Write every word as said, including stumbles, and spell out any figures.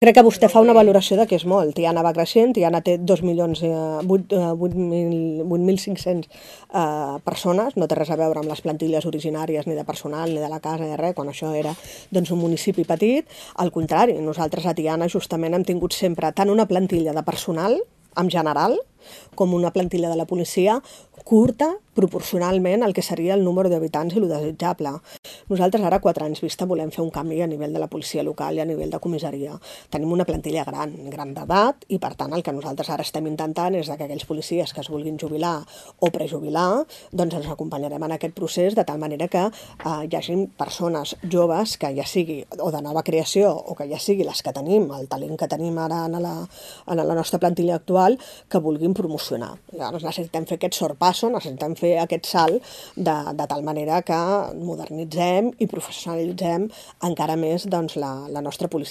Crec que vostè fa una valoració de que és molt. Tiana va creixent, Tiana té dos milions vuit mil cinc-cents persones, no té res a veure amb les plantilles originàries ni de personal, ni de la casa, ni de res, quan això era doncs, un municipi petit. Al contrari, nosaltres a Tiana justament hem tingut sempre tant una plantilla de personal, en general, com una plantilla de la policia curta proporcionalment al que seria el número d'habitants i el desitjable. Nosaltres ara, quatre anys vista, volem fer un canvi a nivell de la policia local i a nivell de comissaria. Tenim una plantilla gran, gran d'edat, i per tant el que nosaltres ara estem intentant és que aquells policies que es vulguin jubilar o prejubilar, doncs ens acompanyarem en aquest procés de tal manera que eh, hi hagi persones joves que ja sigui o de nova creació o que ja sigui les que tenim, el talent que tenim ara en la, en la nostra plantilla actual, que vulguin promocionar. Llavors necessitem fer aquest sorpasso, necessitem fer aquest salt de, de tal manera que modernitzem i professionalitzem encara més doncs, la, la nostra policia.